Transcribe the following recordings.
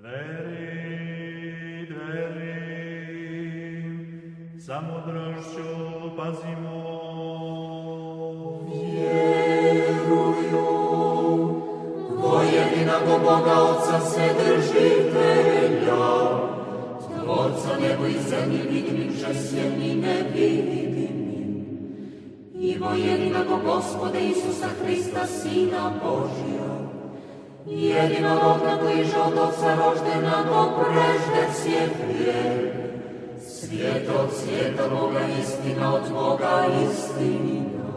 Dveri, sa mudrošću pazimo. Vjeruju, jedinog Boga Otca Vседržitelja, Tvorca nebo i zemlji vidimim, žesjem i nevidimim, i jedinog Gospoda Isusa Hrista, Sina Božja, jedinorodna koji je od Otca roždena do prežde svijet vijek, svijet od svijeta Boga, istina od Boga, istina.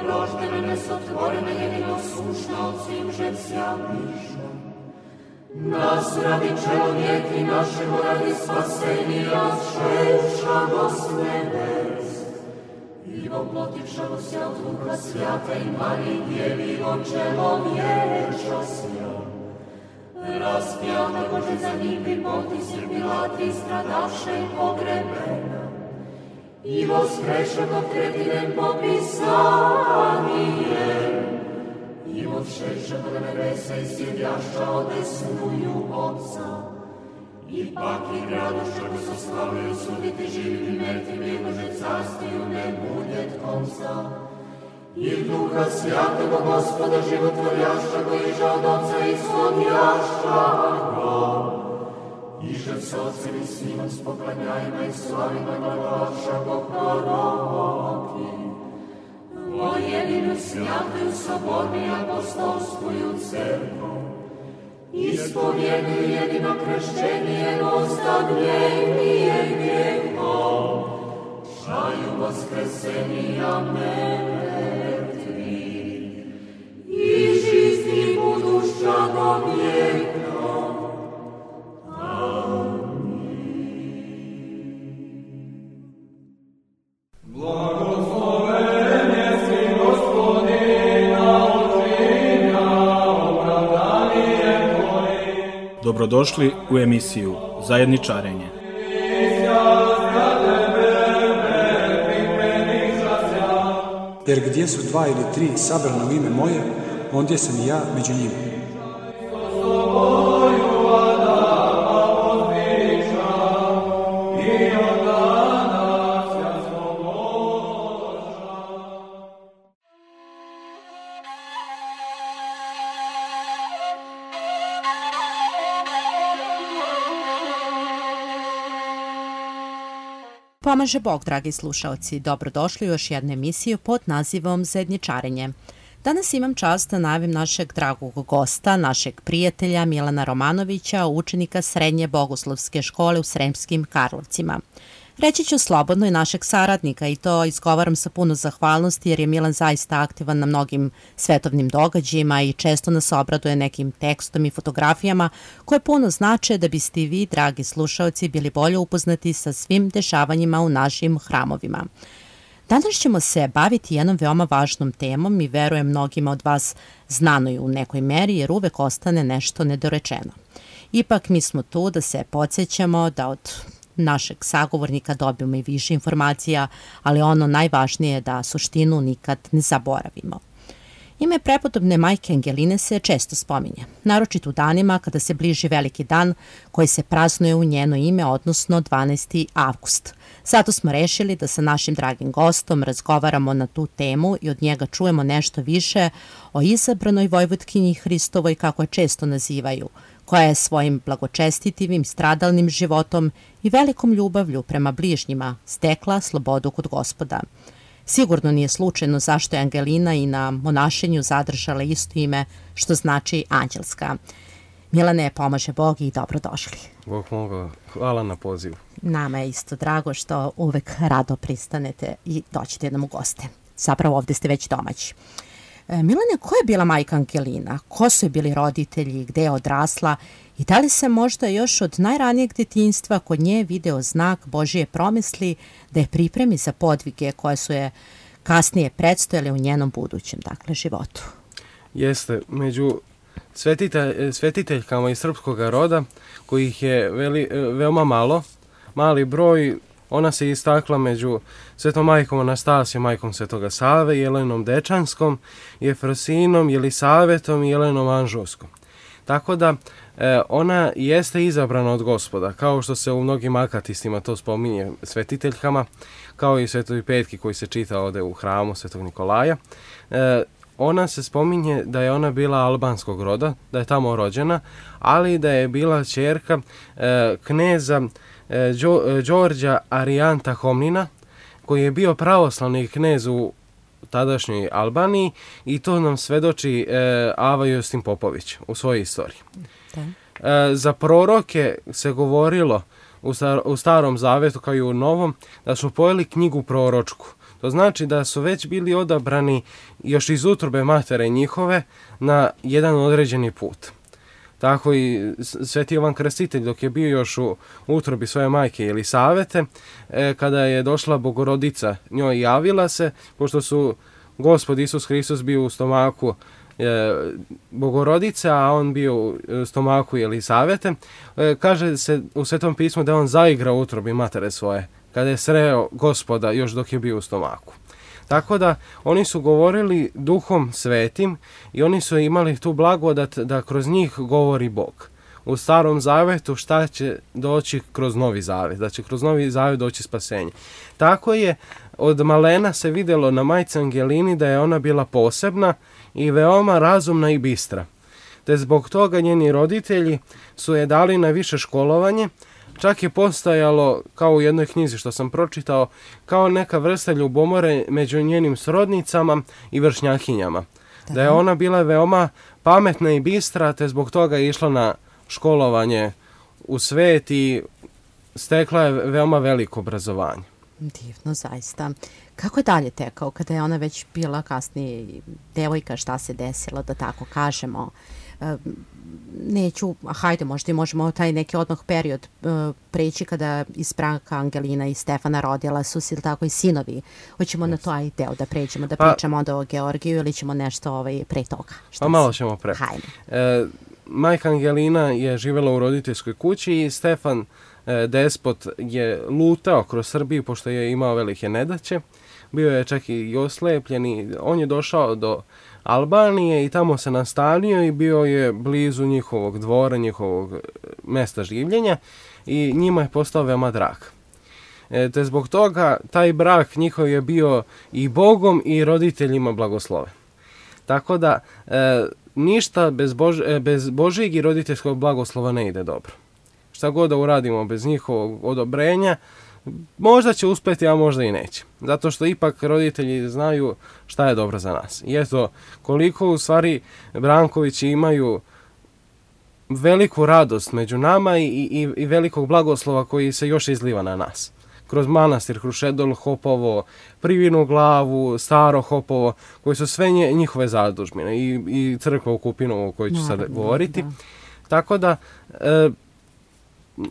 Roždena nesotvorena, jedino sušna od svim žecija miša. Nas radi čelovijek i našemu radi spasenija šeša s nebes. I voplotivšamo se od Duha Svjata i Mariji Djevi od čelovječa sja. Raspjata Bože za njih bi potisir Pilati stradaše i pogrebena. I voskrešeno tretinem popisanije, i odšešeno do nebesa i sjedjaša odesnuju Otca. Ipak i radošću bi se slavio suditi živim i mrtvim, jegože carstiju ne budjet konca. I Duha Svjatoga Gospoda životvorjaša go iže od Otca ishodjaša go. Iže s Otcem i Sinom s poklanjajima i slavima glagolaša go proroki. O jedinu svjatuju sobornu i apostolskuju crkvu. Ispovjeduju jedino kršćenje, ostavljenije grijehom. Čaju voskresenija mrtvi. I žizni budušća do vijeka. Dobrodošli u emisiju Zajedničarenje. Jer gdje su 2 ili 3 sabrana u ime moje, ondje sam i ja među njima. Pomaže Bog, dragi slušaoci, dobrodošli u još jednu emisiju pod nazivom Zajedničarenje. Danas imam čast da najavim našeg dragog gosta, našeg prijatelja Milana Romanovića, učenika Srednje bogoslovske škole u Sremskim Karlovcima. Reći ću slobodno i našeg saradnika i to izgovaram sa puno zahvalnosti jer je Milan zaista aktivan na mnogim svetovnim događajima i često nas obraduje nekim tekstom i fotografijama koje puno znače da biste i vi, dragi slušaoci, bili bolje upoznati sa svim dešavanjima u našim hramovima. Danas ćemo se baviti jednom veoma važnom temom i verujem mnogima od vas znanoj u nekoj meri jer uvek ostane nešto nedorečeno. Ipak mi smo tu da se podsjećamo da od našeg sagovornika dobijemo i više informacija, ali ono najvažnije je da suštinu nikad ne zaboravimo. Ime prepodobne majke Angeline se često spominje, naročito u danima kada se bliži veliki dan koji se praznuje u njeno ime, odnosno 12. avgust. Zato smo rešili da sa našim dragim gostom razgovaramo na tu temu i od njega čujemo nešto više o izabranoj Vojvodkinji Hristovoj, kako je često nazivaju, koja je svojim blagočestitivim, stradalnim životom i velikom ljubavlju prema bližnjima stekla slobodu kod Gospoda. Sigurno nije slučajno zašto je Angelina i na monašenju zadržala isto ime, što znači anđelska. Milane, pomaže Bog i dobrodošli. Bog moga, hvala na pozivu. Nama je isto drago što uvek rado pristanete i doćete nam u goste. Zapravo ovde ste već domaći. Milane, ko je bila majka Angelina? Ko su je bili roditelji? Gde je odrasla? I da li se možda još od najranijeg detinjstva kod nje video znak Božije promisli da je pripremi za podvige koje su je kasnije predstojale u njenom budućem, životu? Jeste, među svetiteljkama iz srpskog roda, kojih je veoma mali broj, ona se istakla među Svetom majkom Anastasijom, majkom Svetoga Save, Jelenom Dečanskom, Jefrosinom, Jelisavetom i Jelenom Anžovskom. Tako da Ona jeste izabrana od Gospoda, kao što se u mnogim akatistima to spominje svetiteljkama, kao i Svetoj Petki koji se čita ovde u hramu Svetog Nikolaja. Ona se spominje da je ona bila albanskog roda, da je tamo rođena, ali da je bila ćerka kneza Đorđa Arijanta Homnina, koji je bio pravoslavni knez u tadašnjoj Albaniji, i to nam svedoči Ava Justin Popović u svojoj istoriji. Za proroke se govorilo u Starom Zavetu kao i u Novom da su pojeli knjigu proročku. To znači da su već bili odabrani još iz utrobe matere njihove na jedan određeni put. Tako i Sveti Jovan Krstitelj, dok je bio još u utrobi svoje majke Jelisavete, kada je došla Bogorodica njoj javila se, pošto su Gospod Isus Hristos bio u stomaku Bogorodice, a on bio u stomaku Jelisavete, kaže se u Svetom pismu da on zaigrao u utrobi matere svoje, kada je sreo Gospoda još dok je bio u stomaku. Tako da oni su govorili Duhom Svetim i oni su imali tu blagodat da kroz njih govori Bog. U Starom Zavetu šta će doći kroz Novi Zavet, da će kroz Novi Zavet doći spasenje. Tako je od malena se vidjelo na majci Angelini da je ona bila posebna i veoma razumna i bistra. Te zbog toga njeni roditelji su je dali na više školovanje. Čak je postajalo, kao u jednoj knjizi što sam pročitao, kao neka vrsta ljubomore među njenim srodnicama i vršnjakinjama. Da je ona bila veoma pametna i bistra, te zbog toga je išla na školovanje u svet i stekla je veoma veliko obrazovanje. Divno, zaista. Kako je dalje tekao kada je ona već bila kasnije devojka, šta se desilo, da tako kažemo? Neću, hajde, možda i možemo taj neki odmah period preći kada iz braka Angelina i Stefana rodila su se tako i sinovi. Hoćemo na to aj deo da pređemo, da pričamo onda o Georgiju ili ćemo nešto pre toga? Pa malo ćemo pre. Hajde. Majka Angelina je živjela u roditeljskoj kući i Stefan despot je lutao kroz Srbiju pošto je imao velike nedaće. Bio je čak i oslepljen i on je došao do Albanije i tamo se nastanio i bio je blizu njihovog dvora, njihovog mesta življenja i njima je postao veoma drag. Te zbog toga taj brak njihov je bio i Bogom i roditeljima blagosloven. Tako da ništa bez Božjeg i roditeljskog blagoslova ne ide dobro. Šta god da uradimo bez njihovog odobrenja, možda će uspjeti, a možda i neće. Zato što ipak roditelji znaju šta je dobro za nas. I eto, koliko u stvari Brankovići imaju veliku radost među nama i velikog blagoslova koji se još izliva na nas. Kroz manastir Krušedol, Hopovo, Privinu Glavu, Staro Hopovo, koji su sve njihove zadužbine i crkva u Kupinovu o kojoj ću sad govoriti. Da. Tako da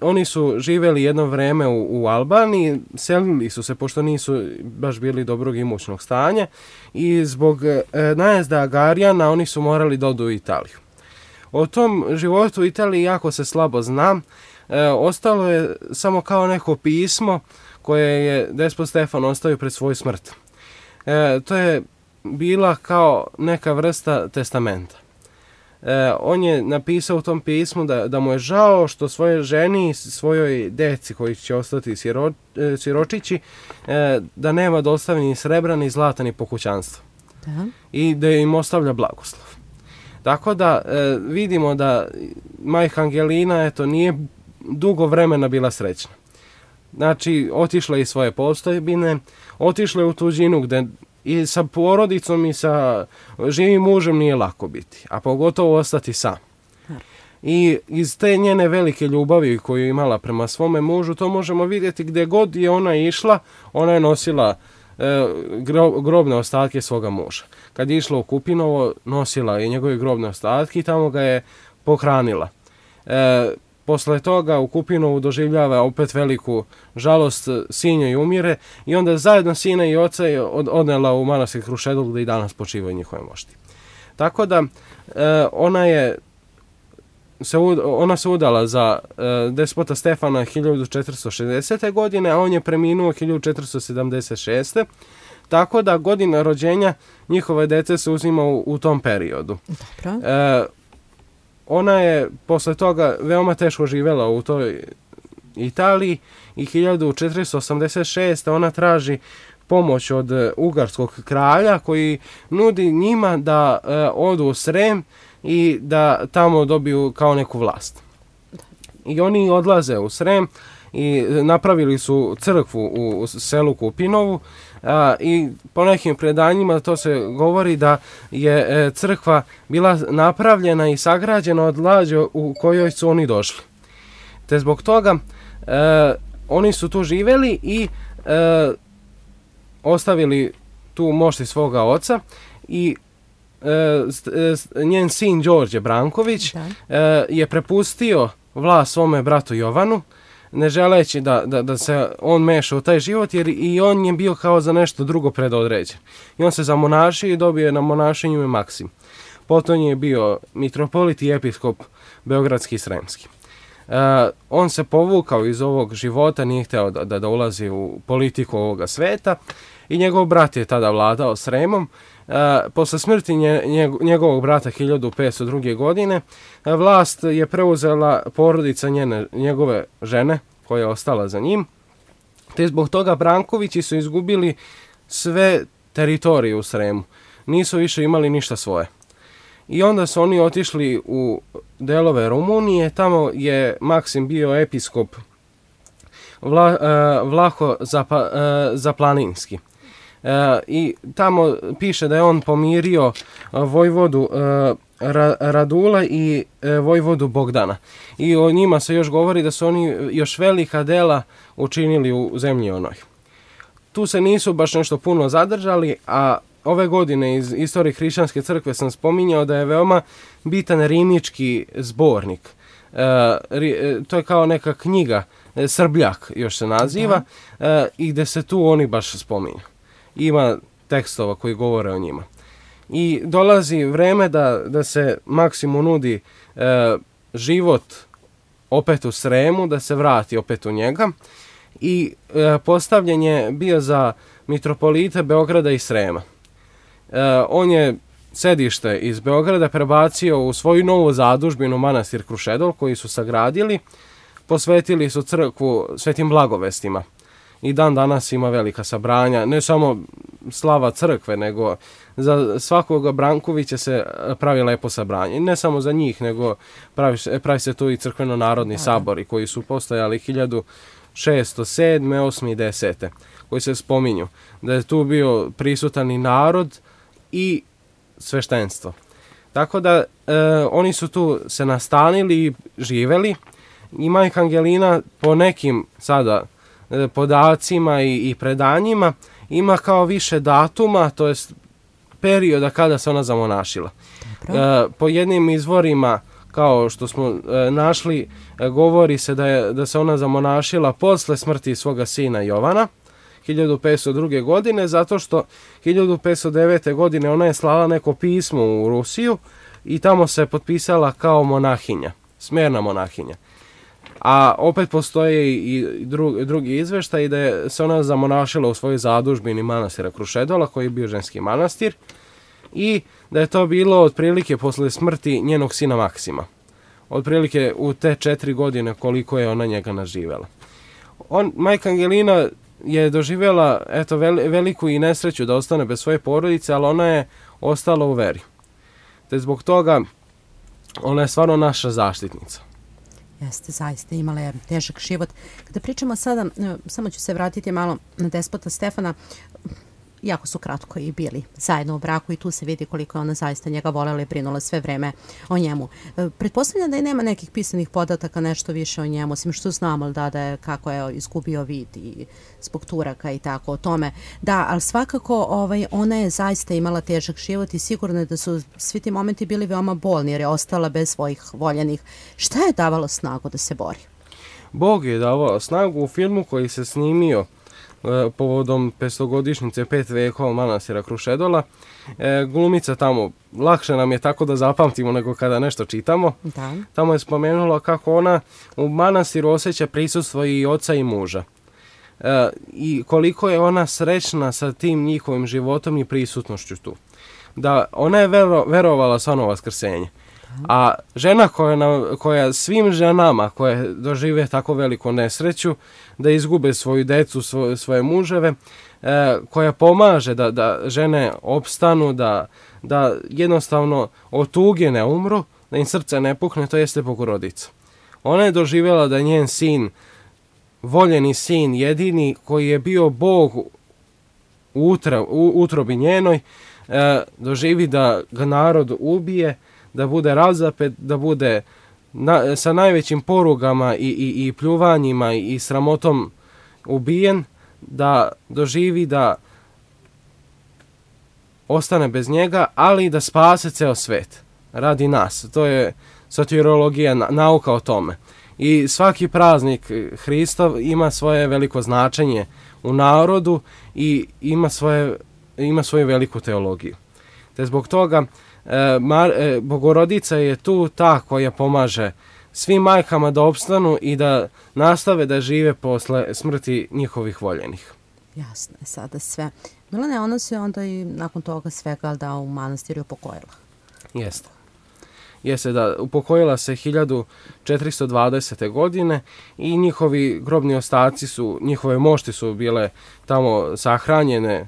oni su živjeli jedno vreme u Albaniji, selili su se pošto nisu baš bili dobrog imućnog stanja i zbog najezda Agarijana oni su morali da odu u Italiju. O tom životu u Italiji jako se slabo zna. Ostalo je samo kao neko pismo koje je despot Stefan ostavio pred svoju smrt. To je bila kao neka vrsta testamenta. On je napisao u tom pismu da mu je žao što svojoj ženi i svojoj deci koji će ostati siročići da nema da ostavi ni srebra ni zlata ni pokućanstva. Da. I da im ostavlja blagoslov. Tako da vidimo da majka Angelina nije dugo vremena bila srećna. Znači, otišla je iz svoje postojbine, otišla je u tuđinu gde i sa porodicom i sa živim mužem nije lako biti, a pogotovo ostati sam. I iz te njene velike ljubavi koju je imala prema svome mužu, to možemo vidjeti gdje god je ona išla, ona je nosila grobne ostatke svoga muža. Kad je išla u Kupinovo, nosila je njegove grobne ostatke i tamo ga je pohranila. Posle toga u Kupinovu doživljava opet veliku žalost, sin joj umire i onda zajedno sina i oca je odnela u manastir Krušedol gdje i danas počivaju njihove mošti. Tako da ona se udala za despota Stefana 1460. godine, a on je preminuo 1476. Tako da godina rođenja njihove dece se uzima u tom periodu. ona je posle toga veoma teško živela u toj Italiji i 1486. ona traži pomoć od ugarskog kralja koji nudi njima da odu u Srem i da tamo dobiju kao neku vlast. I oni odlaze u Srem i napravili su crkvu u selu Kupinovu i po nekim predanjima to se govori da je crkva bila napravljena i sagrađena od lađe u kojoj su oni došli. Te zbog toga oni su tu živeli i ostavili tu mošti svoga oca i njen sin Đorđe Branković je prepustio vlast svome bratu Jovanu, ne želeći da se on meša u taj život, jer i on je bio kao za nešto drugo predodređen. I on se zamonašio i dobio je na monašenju ime Maksim. Potom je bio mitropolit i episkop beogradski i sremski. On se povukao iz ovog života, nije hteo da ulazi u politiku ovoga sveta i njegov brat je tada vladao Sremom. Posle smrti njegovog brata 1502. godine vlast je preuzela porodica njegove žene koja je ostala za njim, te zbog toga Brankovići su izgubili sve teritorije u Sremu. Nisu više imali ništa svoje. I onda su oni otišli u delove Rumunije, tamo je Maksim bio episkop Vlaho Zaplaninski. I tamo piše da je on pomirio vojvodu Radula i vojvodu Bogdana. I o njima se još govori da su oni još velika dela učinili u zemlji onoj. Tu se nisu baš nešto puno zadržali, a ove godine iz istorije hrišćanske crkve sam spominjao da je veoma bitan rimnički zbornik. To je kao neka knjiga, Srbljak još se naziva, i gde se tu oni baš spominju. Ima tekstova koji govore o njima. I dolazi vreme da se Maksimu nudi život opet u Sremu, da se vrati opet u njega. I postavljen je bio za mitropolite Beograda i Srema. On je sedište iz Beograda prebacio u svoju novu zadužbinu manastir Krušedol koji su sagradili. Posvetili su crkvu Svetim Blagovestima. I dan danas ima velika sabranja, ne samo slava crkve, nego za svakoga Brankovića se pravi lepo sabranje. Ne samo za njih, nego pravi se tu i crkveno-narodni sabori koji su postojali 1607, 8. i 10. koji se spominju. Da je tu bio prisutan i narod i sveštenstvo. Tako da oni su tu se nastanili i živeli. I majka Angelina po nekim sada podacima i predanjima ima kao više datuma, to jest perioda kada se ona zamonašila. Po jednim izvorima, kao što smo našli, govori se da se ona zamonašila posle smrti svoga sina Jovana 1502. godine, zato što 1509. godine ona je slala neko pismo u Rusiju i tamo se potpisala kao monahinja, smerna monahinja. A opet postoje i drugi izveštaj da je se ona zamonašila u svojoj zadužbini manastira Krušedola, koji je bio ženski manastir, i da je to bilo otprilike posle smrti njenog sina Maksima. Otprilike u te 4 godine koliko je ona njega naživela. Majka Angelina je doživjela veliku i nesreću da ostane bez svoje porodice, ali ona je ostala u veri. Te zbog toga ona je stvarno naša zaštitnica. Jeste, zaista imala je težak život. Kada pričamo sada, samo ću se vratiti malo na despota Stefana, jako su kratko i bili zajedno u braku i tu se vidi koliko je ona zaista njega volela i brinula sve vreme o njemu. Pretpostavljam da i nema nekih pisanih podataka nešto više o njemu, osim što znamo da je kako je izgubio vid i zbog turaka i tako o tome. Da, ali svakako ona je zaista imala težak život i sigurno je da su svi ti momenti bili veoma bolni jer je ostala bez svojih voljenih. Šta je davalo snagu da se bori? Bog je davao snagu u filmu koji se snimio povodom 500-godišnjice 5 vekova manastira Krušedola. Glumica tamo, lakše nam je tako da zapamtimo nego kada nešto čitamo. Da. Tamo je spomenula kako ona u manastiru osjeća prisustvo i oca i muža. I koliko je ona srećna sa tim njihovim životom i prisutnošću tu. Da ona je verovala stvarno vaskrsenje. A žena koja svim ženama koje dožive tako veliku nesreću, da izgube svoju decu, svoje muževe, koja pomaže da žene opstanu, da jednostavno od tuge ne umru, da im srce ne pukne, to jeste Bogorodica. Ona je doživjela da njen sin, voljeni sin, jedini koji je bio Bog u utrobi njenoj, doživi da ga narod ubije, da bude razapet, da bude sa najvećim porugama i pljuvanjima i sramotom ubijen, da doživi da ostane bez njega, ali i da spase ceo svet radi nas. To je soteriologija, nauka o tome. I svaki praznik Hristov ima svoje veliko značenje u narodu i ima svoju veliku teologiju. Te zbog toga Bogorodica je tu ta koja pomaže svim majkama da opstanu i da nastave da žive posle smrti njihovih voljenih. Jasno je sada sve. Milane, ona se onda i nakon toga svega da u manastiru upokojila. Jeste da upokojila se 1420. godine i njihovi grobni ostaci njihove mošti su bile tamo sahranjene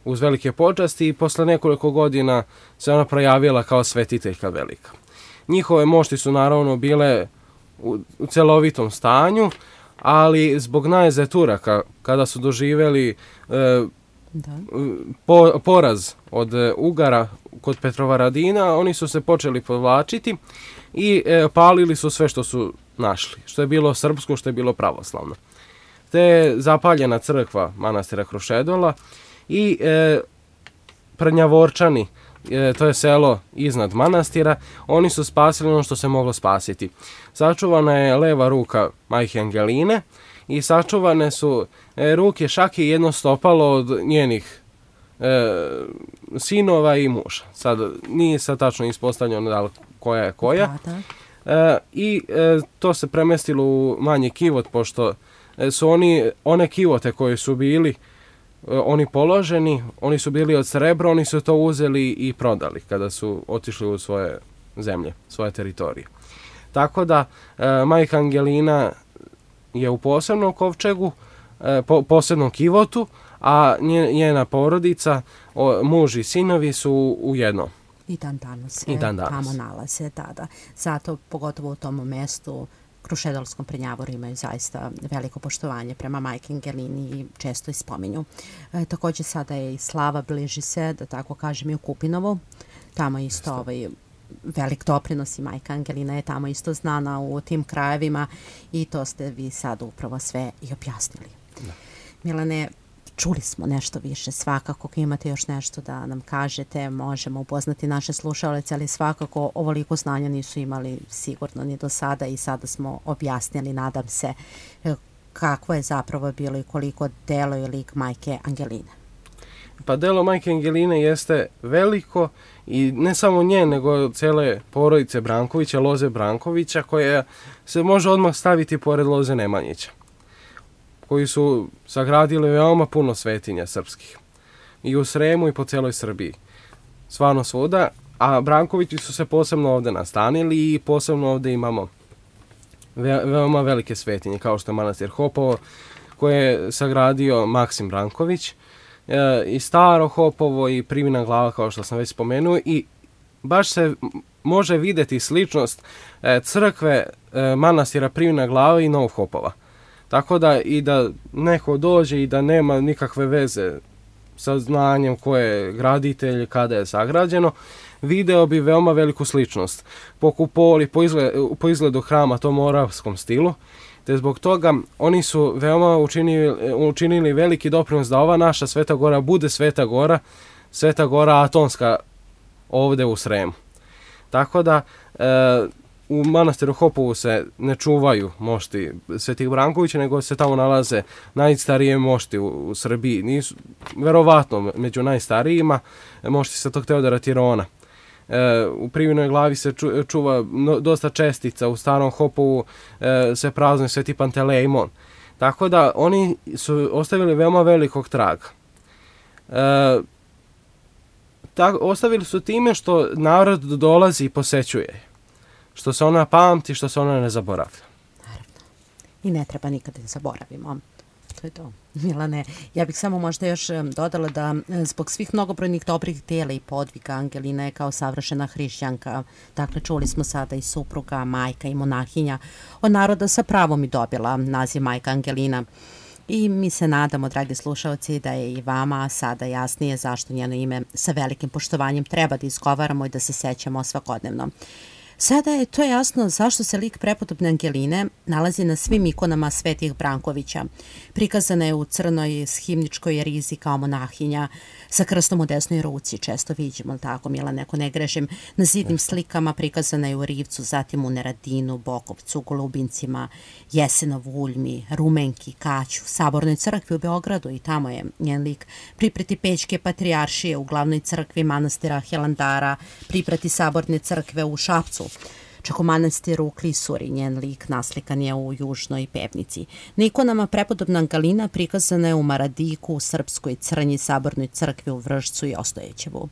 uz velike počasti i posle nekoliko godina se ona projavila kao svetiteljka velika. Njihove mošti su naravno bile u celovitom stanju, ali zbog najezde Turaka, kada su doživjeli poraz od Ugara kod Petrovaradina, oni su se počeli povlačiti i palili su sve što su našli, što je bilo srpsko, što je bilo pravoslavno. Te je zapaljena crkva manastira Krušedola i Prnjavorčani, to je selo iznad manastira, oni su spasili ono što se moglo spasiti. Sačuvana je leva ruka majke Angeline i sačuvane su ruke Šake i jedno stopalo od njenih sinova i muža. Sad nije sad tačno ispostavljeno da li koja je koja. I to se premestilo u manji kivot, pošto su one kivote koje su bili oni položeni, oni su bili od srebra, oni su to uzeli i prodali kada su otišli u svoje zemlje, svoje teritorije. Tako da majka Angelina je u posebnom kovčegu, posebnom kivotu, a njena porodica, muž i sinovi su u jednom. I dan danas se tamo nalaze tada. Zato, pogotovo u tom mestu, Krušedolskom Prnjavoru imaju zaista veliko poštovanje prema majke Angelini i često i spominju. Također sada je i slava bliži se, da tako kažem, i u Kupinovu. Tamo isto velik doprinos i majka Angelina je tamo isto znana u tim krajevima i to ste vi sad upravo sve i objasnili. Milane, čuli smo nešto više, svakako ako imate još nešto da nam kažete, možemo upoznati naše slušalce, ali svakako ovoliko znanja nisu imali sigurno ni do sada i sada smo objasnili, nadam se, kako je zapravo bilo i koliko delo i lik majke Angeline. Pa delo majke Angeline jeste veliko i ne samo nje, nego cele porodice Brankovića, Loze Brankovića, koja se može odmah staviti pored Loze Nemanjića, koji su sagradili veoma puno svetinja srpskih. I u Sremu i po celoj Srbiji. Stvarno svuda. A Brankovići su se posebno ovde nastanili i posebno ovde imamo veoma velike svetinje, kao što je manastir Hopovo, koje je sagradio Maksim Branković, i Staro Hopovo i Privina glava, kao što sam već spomenuo, i baš se može videti sličnost crkve manastira Privina glava i Novog Hopova. Tako da i da neko dođe i da nema nikakve veze sa znanjem ko je graditelj, kada je sagrađeno, video bi veoma veliku sličnost po kupoli, po izgledu hrama, tom moravskom stilu, te zbog toga oni su veoma učinili veliki doprinos da ova naša Sveta Gora bude Sveta Gora Atonska ovde u Sremu. Tako da u manastiru Hopovu se ne čuvaju mošti Svetih Brankovića, nego se tamo nalaze najstarije mošti u Srbiji. Nisu, verovatno, među najstarijima mošti Svetog Teodora Tirona. U Privinoj glavi se čuva dosta čestica, u Starom Hopovu se praznuje Sveti Pantelejmon. Tako da oni su ostavili veoma velikog traga. ostavili su time što narod dolazi i posećuje. Što se ona pamti, što se ona ne zaboravlja. Naravno. I ne treba nikada da zaboravimo. To je to. Milane, ja bih samo možda još dodala da zbog svih mnogobrojnih dobrih dela i podviga Angelina je kao savršena hrišćanka. Dakle, čuli smo sada i supruga, majka i monahinja. Od naroda sa pravom i dobila naziv majka Angelina. I mi se nadamo, dragi slušalci, da je i vama sada jasnije zašto njeno ime sa velikim poštovanjem treba da izgovaramo i da se sećamo svakodnevno. Sada je to jasno zašto se lik prepodobne Angeline nalazi na svim ikonama svetih Brankovića. Prikazana je u crnoj himničkoj rizi kao monahinja, sa krstom u desnoj ruci, često viđemo, tako Milane, ako ne grešim, na zidnim slikama prikazana je u Rivcu, zatim u Neradinu, Bokovcu, Golubincima, Jesenovu, Uljmi, Rumenki, Kaću, Sabornoj crkvi u Beogradu i tamo je njen lik, priprati Pećke patrijaršije u glavnoj crkvi manastira Hilandara, priprati Saborne crkve u Šapcu, čak u manastiru u Klisuri njen lik naslikan je u Južnoj Pevnici. Na ikonama prepodobna Angelina prikazana je u Maradiku, u Srpskoj Crnji, Sabornoj crkvi u Vršcu i Ostojećevu.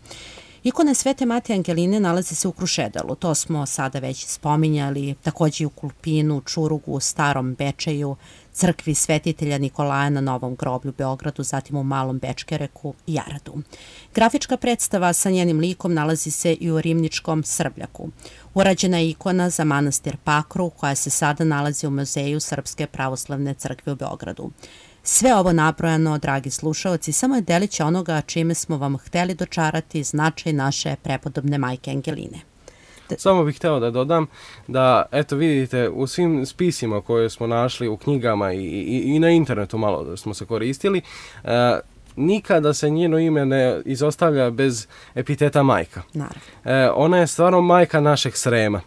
Ikona Svete Matije Angeline nalazi se u Krušedalu, to smo sada već spominjali, takođe i u Kulpinu, Čurugu, Starom Bečeju, crkvi Svetitelja Nikolaja na Novom groblju u Beogradu, zatim u Malom Bečkereku i Jaradu. Grafička predstava sa njenim likom nalazi se i u Rimničkom Srbljaku. Urađena je ikona za manastir Pakru, koja se sada nalazi u Muzeju Srpske pravoslavne crkve u Beogradu. Sve ovo nabrojano, dragi slušaoci, samo je delić onoga čime smo vam hteli dočarati značaj naše prepodobne majke Angeline. Samo bih hteo da dodam da, eto vidite, u svim spisima koje smo našli u knjigama i na internetu malo da smo se koristili, nikada se njeno ime ne izostavlja bez epiteta majka. Naravno. Ona je stvarno majka našeg Srema.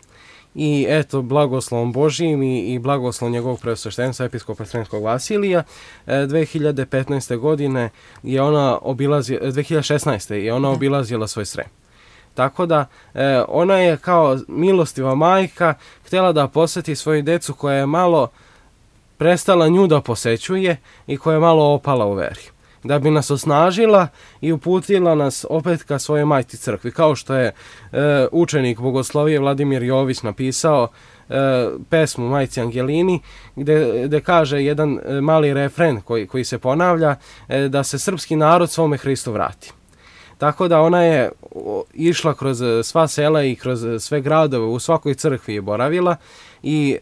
I eto, blagoslovom Božijim i blagoslovom njegovog preosveštenstva episkopa Sremskog Vasilija, 2015. godine je ona 2016. je ona obilazila svoj Srem. Tako da ona je kao milostiva majka htjela da poseti svoju decu koja je malo prestala nju da posećuje i koja je malo opala u veri. Da bi nas osnažila i uputila nas opet ka svojoj majci crkvi. Kao što je učenik bogoslovije Vladimir Jović napisao pesmu Majci Angelini, gde kaže jedan mali refren koji se ponavlja, da se srpski narod svome Hristu vrati. Tako da ona je išla kroz sva sela i kroz sve gradove, u svakoj crkvi je boravila i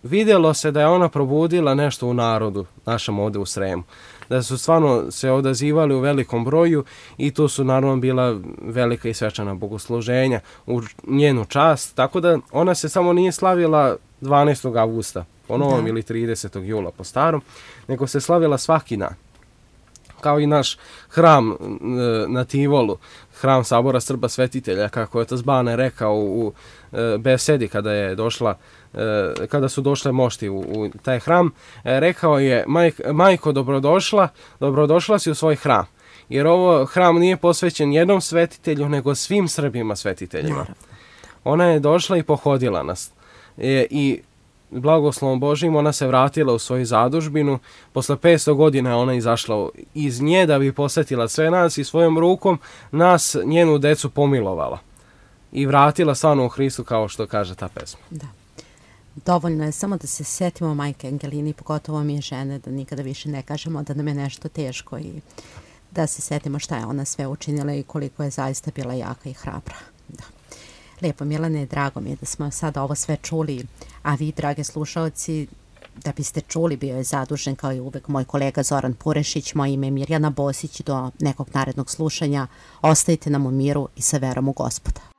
vidjelo se da je ona probudila nešto u narodu, našem ovde u Sremu. Da su stvarno se odazivali u velikom broju i tu su naravno bila velika i svečana bogosluženja u njenu čast. Tako da ona se samo nije slavila 12. avgusta po novom ili 30. jula po starom, nego se slavila svaki dan. Kao i naš hram na Tivolu, hram Sabora Srba Svetitelja, kako je otac Bane rekao u besedi kada su došle mošti u taj hram, rekao je: majko, dobrodošla si u svoj hram, jer ovo hram nije posvećen jednom svetitelju, nego svim Srbima svetiteljima. Ona je došla i pohodila nas i blagoslovom Božijim ona se vratila u svoju zadužbinu. Posle 500 godina ona izašla iz nje da bi posvetila sve nas i svojom rukom nas, njenu decu, pomilovala i vratila stvarno u Hristu, kao što kaže ta pesma. Da. Dovoljno je samo da se setimo majke Angelini, pogotovo mi je žene, da nikada više ne kažemo da nam je nešto teško i da se setimo šta je ona sve učinila i koliko je zaista bila jaka i hrabra. Da. Lijepo, Milane, drago mi je da smo sada ovo sve čuli, a vi, drage slušalci, da biste čuli, bio je zadužen kao i uvek moj kolega Zoran Purešić, moje ime je Mirjana Bosić. Do nekog narednog slušanja ostajte nam u miru i sa verom u Gospoda.